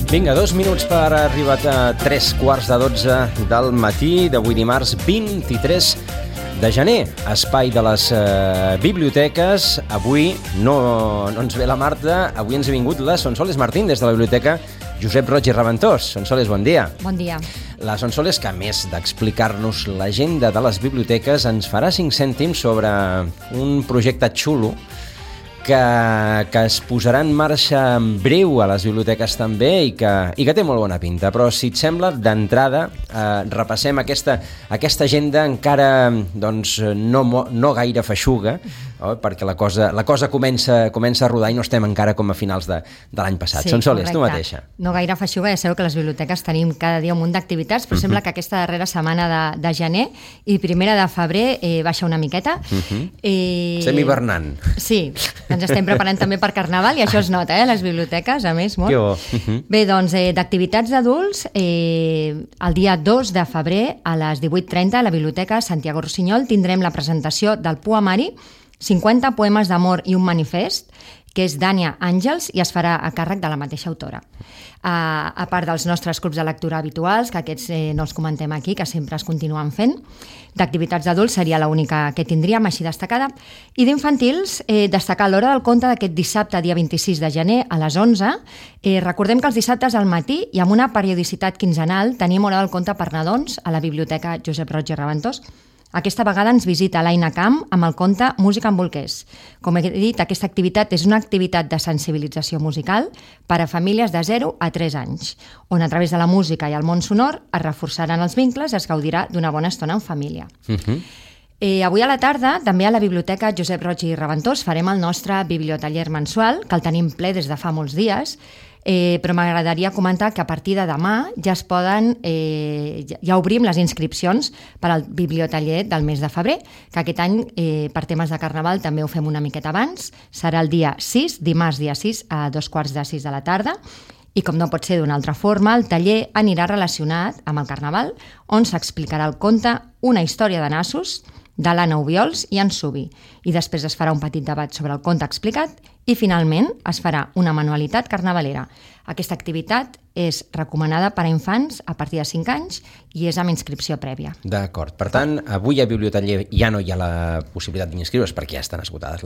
Vinga, 2 minuts per arribar a 3:15 del matí d'avui dimarts 23 de gener. Espai de les biblioteques. Avui no ens ve la Marta, avui ens ha vingut la Sonsoles Martín des de la biblioteca Josep Roig i Reventós. Sonsoles, bon dia. Bon dia. La Sonsoles, que a més d'explicar-nos l'agenda de les biblioteques, ens farà 5 cèntims sobre un projecte xulo que es posarà en marxa en breu a les biblioteques també i que té molt bona pinta. Però si et sembla, d'entrada repassem aquesta agenda encara doncs, no gaire feixuga, perquè la cosa comença a rodar i no estem encara com a finals de l'any passat. Sí, Sonsoles, tu mateixa. No gaire feixuga, ja sabeu que a les biblioteques tenim cada dia un munt d'activitats, però sembla que aquesta darrera setmana de gener i primera de febrer baixa una miqueta. Estem hivernant. Sí, ens estem preparant també per Carnaval i això es nota, a les biblioteques, a més, molt. Que bo. Bé, doncs, d'activitats d'adults, el dia 2 de febrer a les 18:30 a la Biblioteca Santiago Rossinyol tindrem la presentació del poemari 50 poemes d'amor i un manifest, que és Dània Àngels i es farà a càrrec de la mateixa autora. A part dels nostres clubs de lectura habituals, que aquests no els comentem aquí, que sempre es continuen fent, d'activitats d'adults seria l'única que tindríem així destacada, i d'infantils destacar l'hora del conte d'aquest dissabte, dia 26 de gener, a les 11. Recordem que els dissabtes al matí i amb una periodicitat quinzenal tenim hora del conte per nadons a la Biblioteca Josep Roig i Reventós. Aquesta vegada ens visita l'Aina Camp amb el conte Música amb bolquers. Com he dit, aquesta activitat és una activitat de sensibilització musical per a famílies de 0 a 3 anys, on a través de la música i el món sonor es reforçaran els vincles i es gaudirà d'una bona estona en família. Avui a la tarda, també a la Biblioteca Josep Roig i Reventós, farem el nostre bibliotaller mensual, que el tenim ple des de fa molts dies, però m'agradaria comentar que a partir de demà ja obrim les inscripcions per al bibliotaller del mes de febrer, que aquest any per temes de Carnaval també ho fem una miqueta abans. Serà el dia 6, dimarts dia 6 a 2:15 de la tarda, i com no pot ser d'una altra forma, el taller anirà relacionat amb el Carnaval, on s'explicarà el conte Una història de nassos, de l'Anna Obiols i en Subi. I després es farà un petit debat sobre el conte explicat i finalment es farà una manualitat carnavalera. Aquesta activitat és recomanada per a infants a partir de 5 anys i és amb inscripció prèvia. D'acord. Per tant, avui a bibliotaller ja no hi ha la possibilitat d'inscriure's perquè ja estan esgotades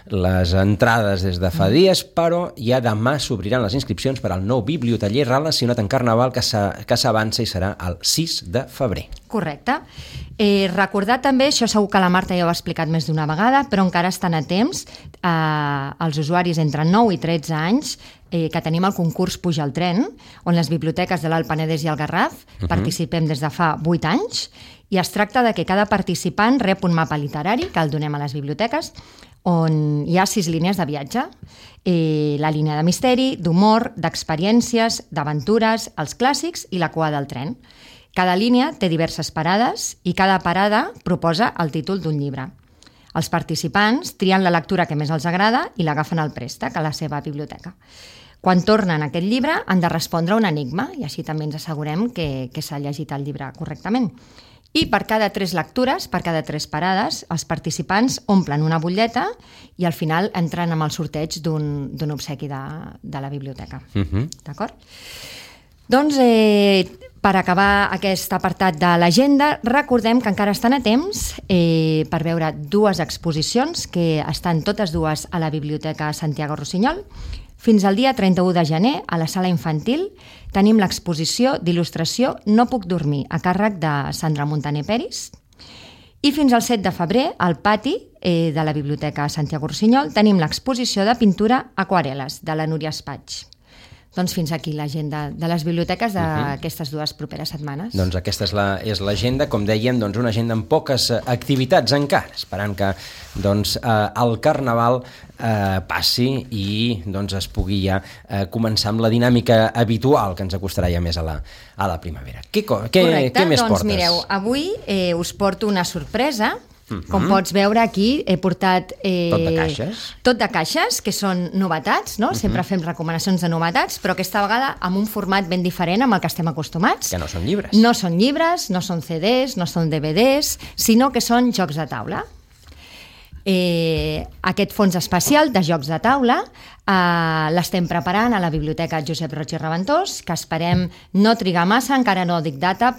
les entrades des de fa dies, però ja demà s'obriran les inscripcions per al nou bibliotaller relacionat amb Carnaval que s'avança i serà el 6 de febrer. Correcte. Recordar també, això segur que la Marta ja ho ha explicat més d'una vegada, però encara estan a temps els usuaris entre 9 i 13 anys que tenim el concurs Puja al tren, on les biblioteques de l'Alt Penedès i el Garraf participem des de fa 8 anys, i es tracta de que cada participant rep un mapa literari que el donem a les biblioteques, on hi ha 6 línies de viatge. La línia de misteri, d'humor, d'experiències, d'aventures, els clàssics i la cua del tren. Cada línia té diverses parades i cada parada proposa el títol d'un llibre. Els participants trien la lectura que més els agrada i l'agafen al préstec a la seva biblioteca. Quan tornen a aquest llibre han de respondre un enigma i així també ens assegurem que s'ha llegit el llibre correctament. I per cada 3 lectures, per cada 3 parades, els participants omplen una butlleta i al final entren amb el sorteig d'un obsequi de la biblioteca. D'acord? Doncs, per acabar aquest apartat de l'agenda, recordem que encara estan a temps per veure 2 exposicions que estan totes dues a la Biblioteca Santiago Rossinyol. Fins al dia 31 de gener, a la sala infantil, tenim l'exposició d'il·lustració No puc dormir, a càrrec de Sandra Montaner Peris. I fins al 7 de febrer, al pati de la Biblioteca Santiago Rossinyol, tenim l'exposició de pintura Aquarel·les, de la Núria Espaig. Doncs fins aquí l'agenda de les biblioteques d'aquestes 2 properes setmanes. Doncs aquesta és l'agenda, com dèiem, doncs una agenda amb poques activitats encara, esperant que el Carnaval passi i es pugui ja començar amb la dinàmica habitual que ens acostarà ja més a la primavera. Què més portes? Doncs mireu, avui us porto una sorpresa. Com pots veure aquí he portat... Tot de caixes? Tot de caixes, que són novetats, no? Sempre fem recomanacions de novetats, però aquesta vegada amb un format ben diferent amb el que estem acostumats. Que no són llibres. No són llibres, no són CDs, no són DVDs, sinó que són jocs de taula. Aquest fons especial de jocs de taula l'estem preparant a la Biblioteca Josep Roig i Reventós, que esperem no trigar massa, encara no dic data,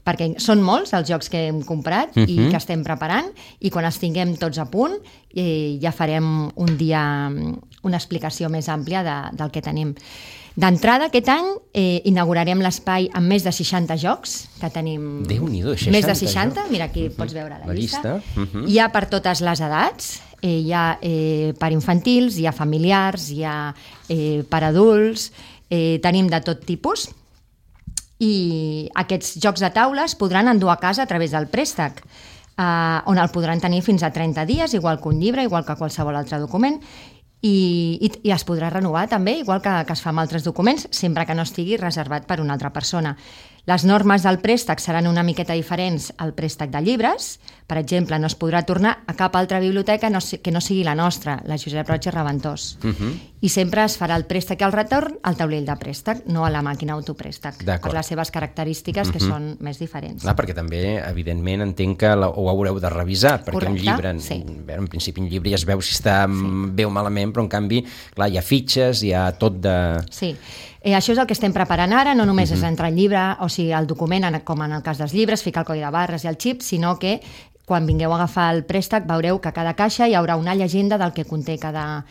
perquè són molts els jocs que hem comprat i que estem preparant, i quan els tinguem tots a punt ja farem un dia una explicació més àmplia del que tenim. D'entrada, aquest any inaugurarem l'espai amb més de 60 jocs, que tenim més de 60, mira aquí pots veure la llista. Hi ha per totes les edats, hi ha per infantils, hi ha familiars, hi ha per adults, tenim de tot tipus, i aquests jocs de taula es podran endur a casa a través del préstec, on el podran tenir fins a 30 dies, igual que un llibre, igual que qualsevol altre document, i es podrà renovar també, igual que es fa amb altres documents, sempre que no estigui reservat per una altra persona. Les normes del préstec seran una miqueta diferents al préstec de llibres. Per exemple, no es podrà tornar a cap altra biblioteca que no sigui la nostra, la Josep Roig i Reventós. I sempre es farà el préstec i el retorn al taulell de préstec, no a la màquina autopréstec, per les seves característiques que són més diferents. Clar, perquè també, evidentment, entenc que ho haureu de revisar, perquè un llibre, en principi un llibre ja es veu si està bé o malament, però en canvi, clar, hi ha fitxes, hi ha tot de... Sí. Això és el que estem preparant ara, no només és entrar el llibre, o sigui, el document, com en el cas dels llibres, ficar el codi de barres i el xip, sinó que quan vingueu a agafar el préstec veureu que a cada caixa hi haurà una llegenda del que conté cada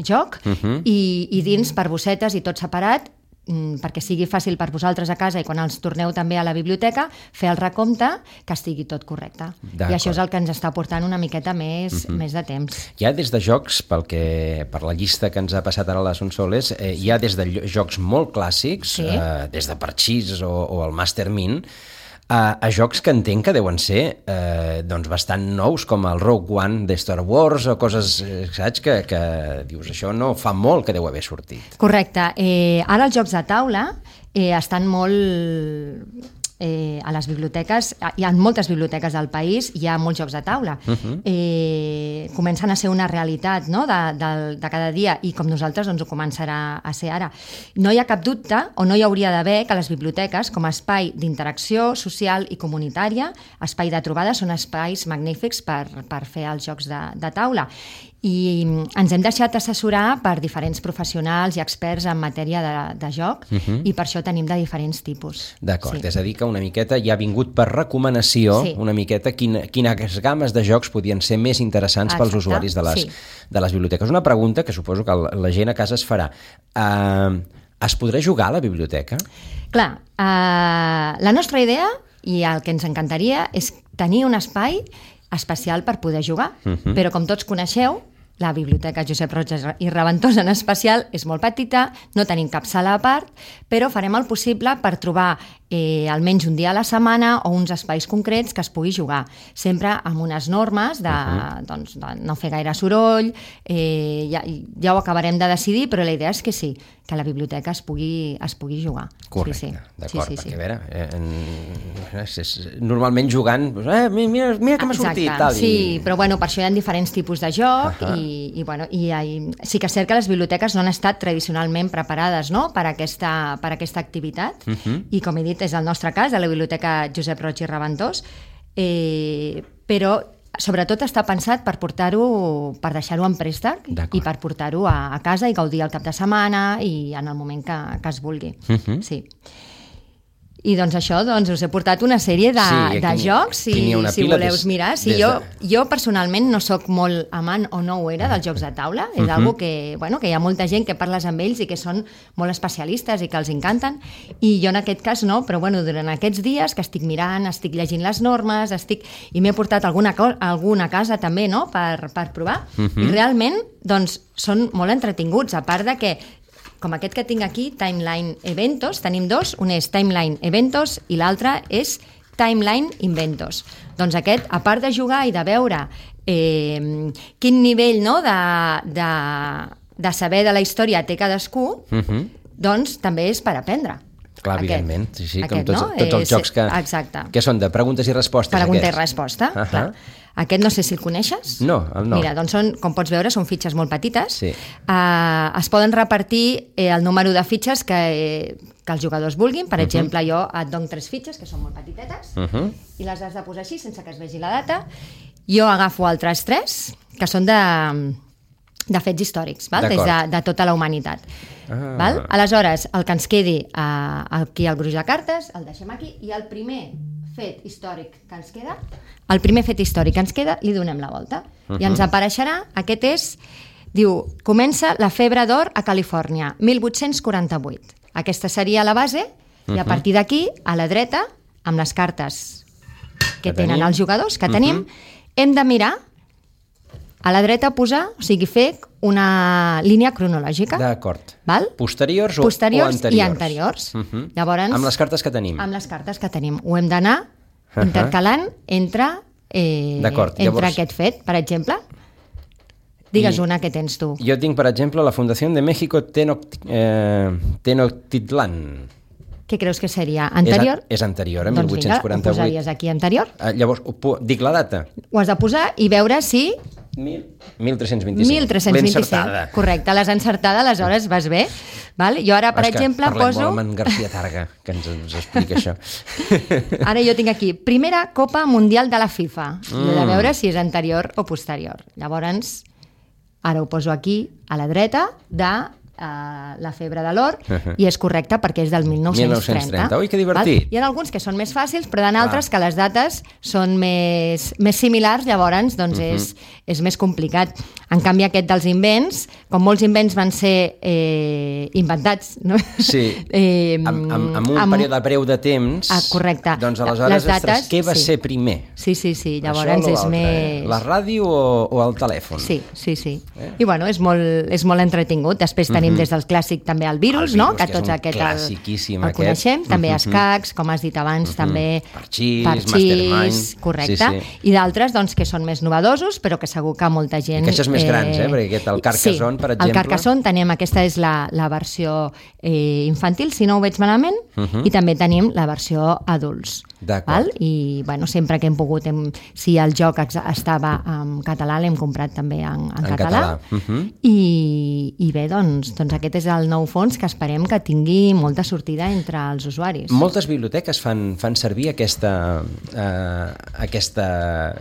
joc i dins per bossetes i tot separat, perquè sigui fàcil per vosaltres a casa i quan els torneu també a la biblioteca fer el recompte, que estigui tot correcte. I això és el que ens està portant una miqueta més de temps. Hi ha des de jocs, per la llista que ens ha passat ara la Sonsoles, hi ha des de jocs molt clàssics, des de Parchís o el Master Mint, a jocs que entenc que deuen ser bastant nous, com el Rogue One de Star Wars o coses, saps, que dius, això no fa molt que deu haver sortit. Correcte. Ara els jocs de taula estan molt... a les biblioteques, hi ha moltes biblioteques del país, hi ha molts jocs de taula. Comencen a ser una realitat, no?, de cada dia, i com nosaltres ho començarà a ser ara. No hi ha cap dubte, o no hi hauria d'haver, que les biblioteques, com a espai d'interacció social i comunitària, espai de trobada, són espais magnífics per fer els jocs de taula. I ens hem deixat assessorar per diferents professionals i experts en matèria de joc, i per això tenim de diferents tipus. D'acord, és a dir que una miqueta ja ha vingut per recomanació, una miqueta quines games de jocs podien ser més interessants pels usuaris de les biblioteques. Una pregunta que suposo que la gent a casa es farà. Es podrà jugar a la biblioteca? Clar, la nostra idea, i el que ens encantaria, és tenir un espai especial per poder jugar, però com tots coneixeu, la Biblioteca Josep Roig i Reventós en especial és molt petita, no tenim cap sala a part, però farem el possible per trobar almenys un dia a la setmana o uns espais concrets que es pugui jugar, sempre amb unes normes de no fer gaire soroll, ja ho acabarem de decidir, però la idea és que sí, que a la biblioteca es pugui jugar. Correcte, d'acord, perquè a veure, normalment jugant, mira que m'ha sortit. Sí, però per això hi ha diferents tipus de joc i sí que és cert que les biblioteques no han estat tradicionalment preparades per aquesta activitat i, com he dit, és el nostre cas, a la Biblioteca Josep Roig i Reventós, però sobretot està pensat per deixar-ho en préstec i per portar-ho a casa i gaudir el cap de setmana i en el moment que es vulgui. Sí. I doncs això, us he portat una sèrie de jocs, si voleu mirar. Jo personalment no sóc molt amant, o no ho era, dels jocs de taula. És algo que hi ha molta gent que parles amb ells i que són molt especialistes i que els encanten, i jo en aquest cas no, però durant aquests dies que estic mirant, estic llegint les normes, i m'he portat alguna casa també per provar, i realment són molt entretinguts, a part de que com aquest que tinc aquí, Timeline Eventos, tenim dos, un és Timeline Eventos i l'altre és Timeline Inventos. Doncs aquest, a part de jugar i de veure quin nivell de saber de la història té cadascú, doncs també és per aprendre. Clar, evidentment. Sí, com tots els jocs Exacte. que són de preguntes i respostes. Pregunta i resposta, clar. Aquest no sé si el coneixes. No. Mira, doncs com pots veure, són fitxes molt petites. Sí. Es poden repartir el número de fitxes que els jugadors vulguin. Per exemple, jo et dono 3 fitxes, que són molt petitetes, i les has de posar així, sense que es vegi la data. Jo agafo altres 3, que són de fets històrics, val? Des de tota la humanitat. Val? Aleshores, el que ens quedi aquí al gruix de cartes, el deixem aquí, i el primer fet històric que ens queda, li donem la volta. I ens apareixerà, aquest és, diu, comença la febre d'or a Califòrnia, 1848. Aquesta seria la base, i a partir d'aquí, a la dreta, amb les cartes que tenen els jugadors, que tenim, hem de mirar a la dreta posar, o sigui, fer una línia cronològica. D'acord. Val? Posteriors o anteriors? I anteriors. Llavors, amb les cartes que tenim. Amb les cartes que tenim. Ho hem d'anar intercalant entre aquest fet, per exemple. Digues una que tens tu. Jo tinc, per exemple, la Fundació de México Tenochtitlan. Què creus que seria? Anterior? És anterior, a 1848. Doncs vinga, ho posaries aquí, anterior. Llavors, dic la data. Ho has de posar i veure si... 1325. 1325. L'encertada. Correcte, l'has encertada, aleshores vas bé. Val? Jo ara, per exemple, poso... Parlem molt amb en García Targa, que ens explica això. Ara jo tinc aquí, primera Copa Mundial de la FIFA. He de veure si és anterior o posterior. Llavors, ara ho poso aquí, a la dreta, de la febre de l'or, i és correcte perquè és del 1930. Ui, que divertit. Hi ha alguns que són més fàcils, però hi ha altres que les dates són més similars, llavors doncs és més complicat. En canvi, aquest dels invents, com molts invents van ser inventats, no? Sí, amb un període breu de temps, correcte. Doncs aleshores, ostres, què va ser primer? Sí, llavors és més... La ràdio o el telèfon? Sí. I bueno, és molt entretingut. Després tenim des del clàssic també el virus, no? Que tots aquest el coneixem, també escacs, com has dit abans, també Parxís, correcte, i d'altres doncs que són més novedosos, però que segur que molta gent... I que això és més grans, perquè aquest, el Carcassonne, per exemple... El Carcassonne tenim, aquesta és la versió infantil, si no ho veig malament, i també tenim la versió adults. D'acord. I bueno, sempre que hem pogut, si el joc estava en català, l'hem comprat també en català. I bé, doncs aquest és el nou fons que esperem que tingui molta sortida entre els usuaris. Moltes biblioteques fan servir aquesta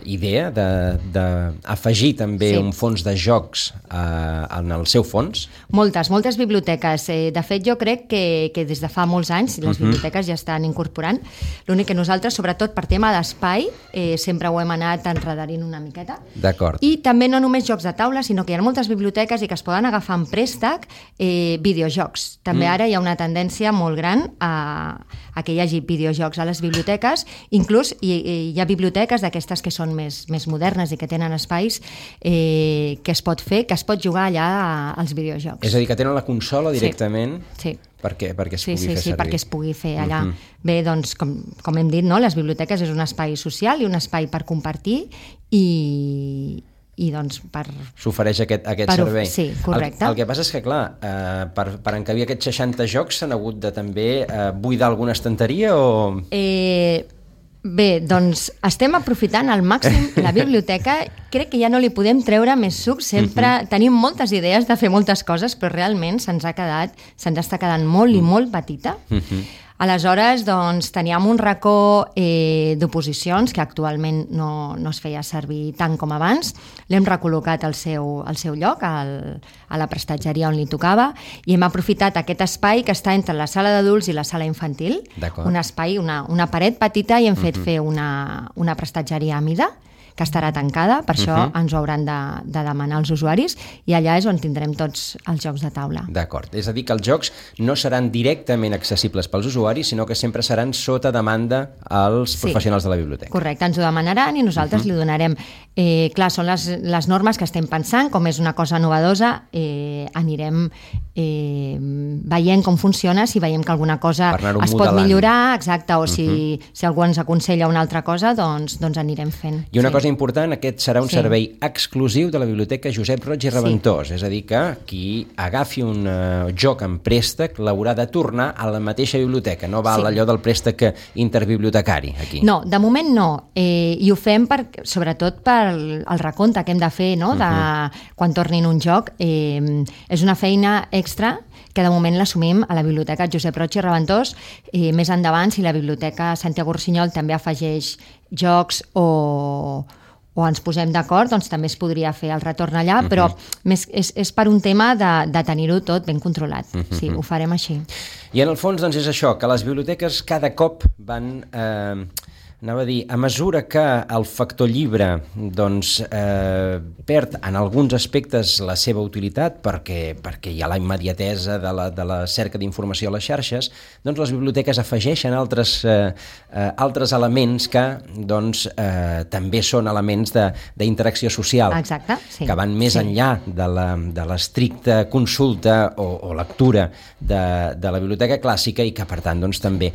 idea d'afegir també un fons de jocs en el seu fons? Moltes biblioteques. De fet, jo crec que des de fa molts anys les biblioteques ja estan incorporant. L'únic que nosaltres, sobretot per tema d'espai, sempre ho hem anat enredarint una miqueta. D'acord. I també no només jocs de taula, sinó que hi ha moltes biblioteques i que es poden agafar en préstec videojocs. També ara hi ha una tendència molt gran a que hi hagi videojocs a les biblioteques. Inclús hi ha biblioteques d'aquestes que són més modernes i que tenen espais que es pot fer, que es pot jugar allà als videojocs. És a dir, que tenen la consola directament perquè es pugui fer servir. Sí, perquè es pugui fer allà. Bé, doncs, com hem dit, no? Les biblioteques és un espai social i un espai per compartir i doncs per... S'ofereix aquest servei. Sí, correcte. El que passa és que, clar, per encabir aquests 60 jocs s'han hagut de també buidar alguna estanteria o... Bé, doncs estem aprofitant al màxim la biblioteca. Crec que ja no li podem treure més suc. Sempre tenim moltes idees de fer moltes coses, però realment se'ns està quedant molt i molt petita. Aleshores, doncs, teníem un racó d'oposicions que actualment no es feia servir tant com abans. L'hem recol·locat al seu lloc, a la prestatgeria on li tocava, i hem aprofitat aquest espai que està entre la sala d'adults i la sala infantil. Un espai, una paret petita, i hem fet fer una prestatgeria a mida, que estarà tancada, per això ens ho hauran de demanar els usuaris, i allà és on tindrem tots els jocs de taula. D'acord, és a dir que els jocs no seran directament accessibles pels usuaris, sinó que sempre seran sota demanda als professionals de la biblioteca. Correcte, ens ho demanaran i nosaltres li donarem. Clar, són les normes que estem pensant, com és una cosa novedosa, anirem veient com funciona, si veiem que alguna cosa es pot millorar, exacte, o si algú ens aconsella una altra cosa, doncs anirem fent. I una cosa cosa important, aquest serà un servei exclusiu de la Biblioteca Josep Roig i Reventós, és a dir que qui agafi un joc en préstec l'haurà de tornar a la mateixa biblioteca, no val allò del préstec interbibliotecari aquí. No, de moment no, i ho fem sobretot pel recompte que hem de fer, no? Quan tornin un joc. És una feina extra que de moment l'assumim a la Biblioteca Josep Roig i Reventós. Més endavant, si la Biblioteca Santiago Rusiñol també afegeix jocs o ens posem d'acord, doncs també es podria fer el retorn allà, però és per un tema de tenir-ho tot ben controlat. Sí, ho farem així. I en el fons doncs, és això, que les biblioteques cada cop van... a mesura que el factor llibre doncs, perd en alguns aspectes la seva utilitat perquè hi ha la immediatesa de la cerca d'informació a les xarxes, doncs les biblioteques afegeixen altres elements que doncs, també són elements d'interacció social. Exacte, sí. Que van més enllà de l'estricta consulta o lectura de la biblioteca clàssica i que per tant doncs, també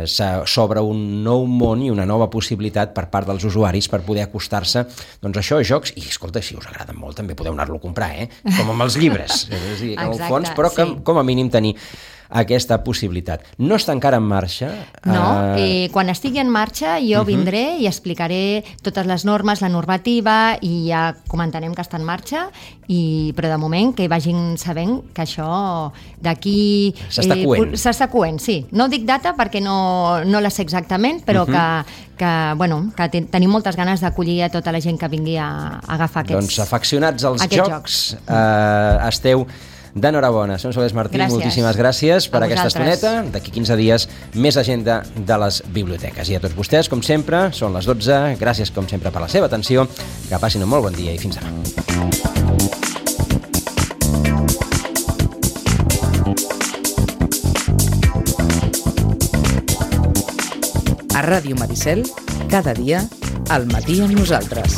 s'obre un nou món i una nova possibilitat per part dels usuaris per poder acostar-se doncs això, a jocs, i escolta, si us agraden molt també podeu anar-lo a comprar, com amb els llibres, és a dir, en el fons, però que com a mínim tenir aquesta possibilitat. No està encara en marxa? No, quan estigui en marxa jo vindré i explicaré totes les normes, la normativa, i ja comentarem que està en marxa, però de moment que vagin sabent que això d'aquí... S'està coent, sí. No dic data perquè no la sé exactament, però que tenim moltes ganes d'acollir a tota la gent que vingui a agafar aquests jocs. Doncs afeccionats als jocs, esteu d'enhorabona. Som Soles Martí, moltíssimes gràcies per aquesta estoneta. D'aquí 15 dies, més agenda de les biblioteques. I a tots vostès, com sempre, són les 12. Gràcies, com sempre, per la seva atenció. Que passin un molt bon dia i fins demà. A Ràdio Maricel, cada dia, al matí amb nosaltres.